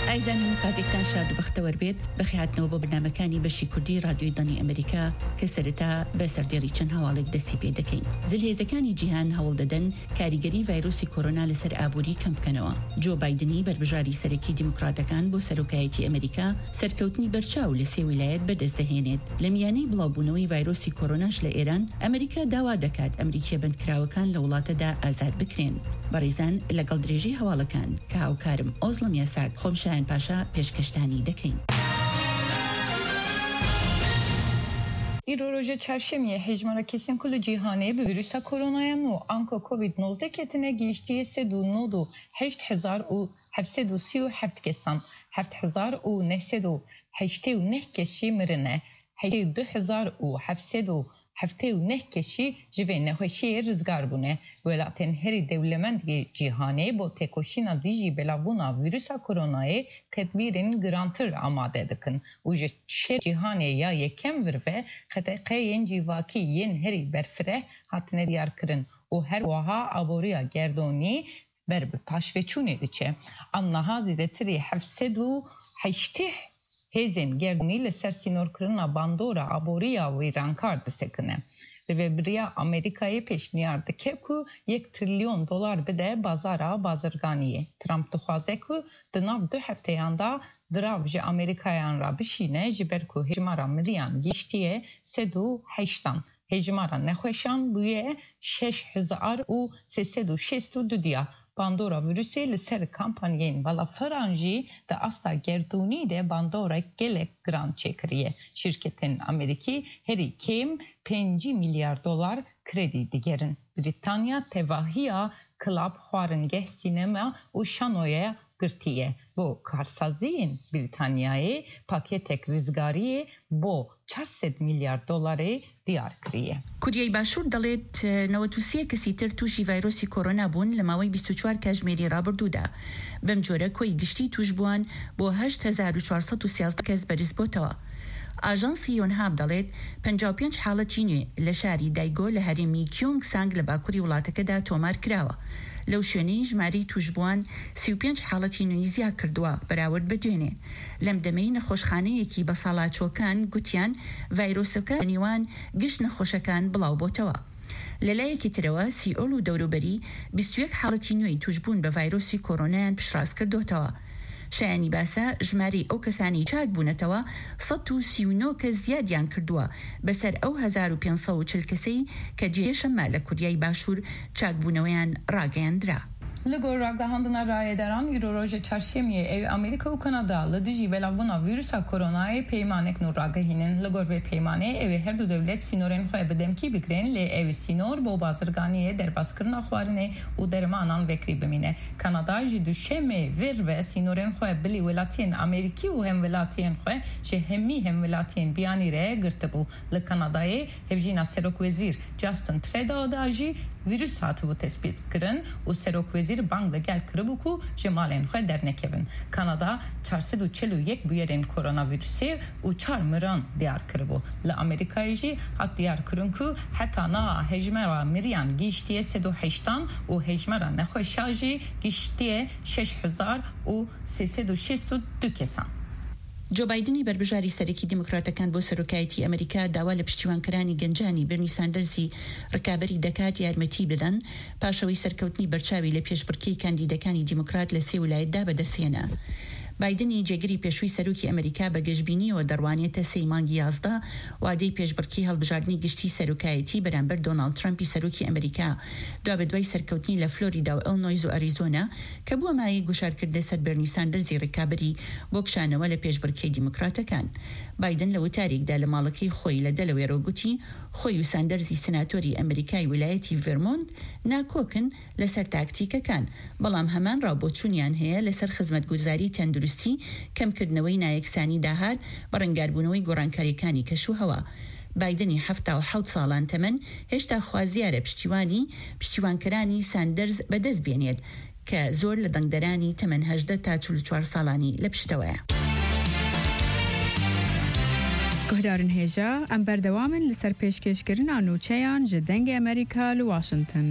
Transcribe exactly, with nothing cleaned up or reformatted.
ئایزان، هەموو کاتێکتان شاد و بەختەوەر بێت. بەخێهاتنەوە بۆ بەرنامەکانی بەشی کوردی رادیۆی دەنگی ئەمریکا، کە سەرەتا بە سەردێڕی چەند هەواڵێک دەستی پێ دەکەین. زلهێزەکانی جیهان هەوڵ دەدەن کاریگەری ڤایرۆسی کۆرۆنا لەسەر ئابووری کەم بکەنەوە. جۆ بایدنی بەربژاری سەرەکی دیموکراتەکان بۆ سەرۆکایەتی ئەمریکا سەرکەوتنی بەرچاو لە سێ ویلایەت بەدەست دەهێنێت. لە میانەی بڵاوبوونەوەی ڤایرۆسی کۆرۆناش لە ئێران، ئەمریکا داوا دەکات ئەمریکیە بەندکراوەکان لە وڵاتەدا ئازاد بکرێن. بەڕێزان، لەگەڵ درێژەی هەواڵەکان کە هاوکارم ئۆزڵم یاساک، خۆم شایان پاشا پێشکەشتانی دەکەین. Îro roja çarşemiyê hejmara kesên ku li cîhanê bi vîrusa koronaya nû anka covid nozdeh ketine gihiştiye sed û nod û heşt hezar û heft sed û sî û heft kesan, heft hezar û neh sed û heştê û neh kes jî mirine, heştê û du hezar û heft sed û heftê û neh kes jî ji vê nexweşiyê rizgar bûne. Welatên herî dewlemend yê cîhanê bo têkoşîna dijî belavbûna vîrusa koronayê tedbîrên girantir amade dikin û ji şer cîhanê ya yekem vir ve qedexe yên civakî yên herî berfireh hatine diyarkirin û her wiha aboriya gerdonî ber bi paşveçûnê diçe. Em niha zêdetirî heft sed û heştê hêzên gerdonî li ser sînorkirina bandora aboriya wêrankar disekine. Rêvebiriya Amerîkayê pêşniyar dike ku yek trilyon dolar bide bazara bazirganiyê. Trump dixwaze ku di nav du hefteyan de dirav ji Amerîkayan re bişîne, ji ber ku hejmara miriyan gihiştiye sed û heştan. Hejmara nexweşan bûye şeş hezar û sê sed û şêst û du diya. Bandora vîrusê li ser kampanyayên balafiran jî di asta gerdûnî de bandorek gelek giran çêkiriye. Şîrketên Amerîkî herî kêm pêncî milyar dolar kredî digerin. Brîtanya tevahiya klab, xwaringeh, sînema û şanoya girtiye. Bo karsaziyên Brîtanyayê paketek rizgariyê bo çar sed milyar dolarê diyar kiriye. کوریای باشوور دەڵێت نەوەد و سێ کەسی تر تووشی ڤایرۆسی کۆرۆنا بوون لە ماوەی بیست و چوار کاژمێری ڕابردوودا. بەم جۆرە کۆی گشتی تووشبووان بۆ هەشت هەزار و چوار سەد و سیازدە کەس بەرز بۆتەوە. ئاژانسی یۆنهاب دەڵێت پەنجا و پێنج حاڵەتی نوێ لە شاری دایگۆ لە هەرێمی کیۆنگ سانگ لە باکووری وڵاتەکەدا تۆمار کراوە. لەو شوێنەی ژمارەی تووشبووان سی و پێنج حاڵەتی نوێی زیاد کردووە بەراورد بە دوێنێ. لەم دەمەی نەخۆشخانەیەکی بەساڵاچووەکان گوتیان ڤایرۆسەکە لە نێوان گشت نەخۆشەکان بڵاو بۆتەوە. لە لایەکی ترەوە، سیئۆل و دەوروبەری بیست و یەک حاڵەتی نوێی توشبوون بە ڤایرۆسی کۆرۆنایان پشتڕاست کردوتەوە. شایانی باسە، ژمارەی ئەو کەسانەی چاک بوونەتەوە سەد و سی و نۆ کەس زیادیان کردووە بەسەر ئەو هەزار و پێنج سەد و چل کەسەی کە دوێ شەممە لە کوریای باشوور چاکبوونەوەیان ڕاگەیاندرا. Li gor ragihandina rayedaran, îro roja çarşemiyê ew Amerîka û Kanada li dijî belavbûna vîrusa koronayê peymanek nû ragihînin. Li gor vê peymanê, ew ê her du dewlet sînorên xwe bi demkî bigirin, lê ew ê sînor bo bazirganiyê, derbazkirina xwarinê û dermanan vekirî bimîne. Kanada ji duşemê vir ve sînorên xwe bilî welatiyên Amerîkî û hemwelatiyên xwe ji hemî hemwelatiyên biyanî re girtibû. Li Kanadayê hevjîna serokwezîr Justin Trudeau da jî vîrus hatibû tespîtkirin û serokwezîr bang li gel kiribû ku ji malên xwe dernekevin. Kanada çar sed û çel û yek bûyerên koronavîrusê û çar miran diyar kiribû. Li Amerîkayê jî hat diyar kirin ku heta niha hejmara miriyan gihiştiye sed û heştan û hejmara nexweşa jî gihiştiye şeş hezar û sê sed û şêst û du kesan. جۆ بایدنی بەربژاری سەرەکی دیموکراتەکان بۆ سەرۆکایەتی ئەمریکا داوا لە پشتیوانکەرانی گەنجانی بێرنی ساندەرزی ڕکابەری دەکات یارمەتی بدەن، پاشەوەی سەرکەوتنی بەرچاوی لە پێشبڕکێی کاندیدەکانی دیموکرات لە سێ ولایەتدا بەدەستهێنا. بایدنی جێگری پێشووی سەرۆکی ئەمریکا بە گەشبینیەوە دەڕوانێتە سێی مانگی یازدە، وادەی پێشبڕکێی هەڵبژاردنی گشتی سەرۆکایەتی بەرامبەر دۆناڵد ترەمپی سەرۆکی ئەمریکا، دوا بە دوای سەرکەوتنی لە فلۆریدا و ئیلنۆیز و ئەریزۆنا، کە بووە مایەی گوشارکردنە سەر بێرنی ساندەرزی ڕکابەری بۆ کشانەوە لە پێشبڕکێی دیموکراتەکان. بایدن لە وتارێکدا لە ماڵەکەی خۆی لە دەلەوێرەوە گوتی، خۆی و ساندەرزی سناتۆری ئەمریکای ولایەتی ڤێرمۆنت ناکۆکن لەسەر تاکتیکەکان، بەڵام هەمان ڕاوبۆچوونیان هەیە لەسەر خزمەتگوزاری تەندروستی، کەمکردنەوەی نایەکسانی داهات، بەڕەنگاربوونەوەی گۆڕانکاریەکانی کەش و هەوا. بایدنی حەفتا و حەوت ساڵان تەمەن هێشتا خوازیارە پشتیوانی پشتیوانکەرانی ساندەرز بەدەست بێنێت، کە زۆر لە دەنگدەرانی تەمەن هەژدە تا چل و چوار ساڵانی لە پشتەوەیە. Guhdarên hêja, em berdewam in li ser pêşkêşkirina nûçeyan ji Dengê Amerîka li Washington.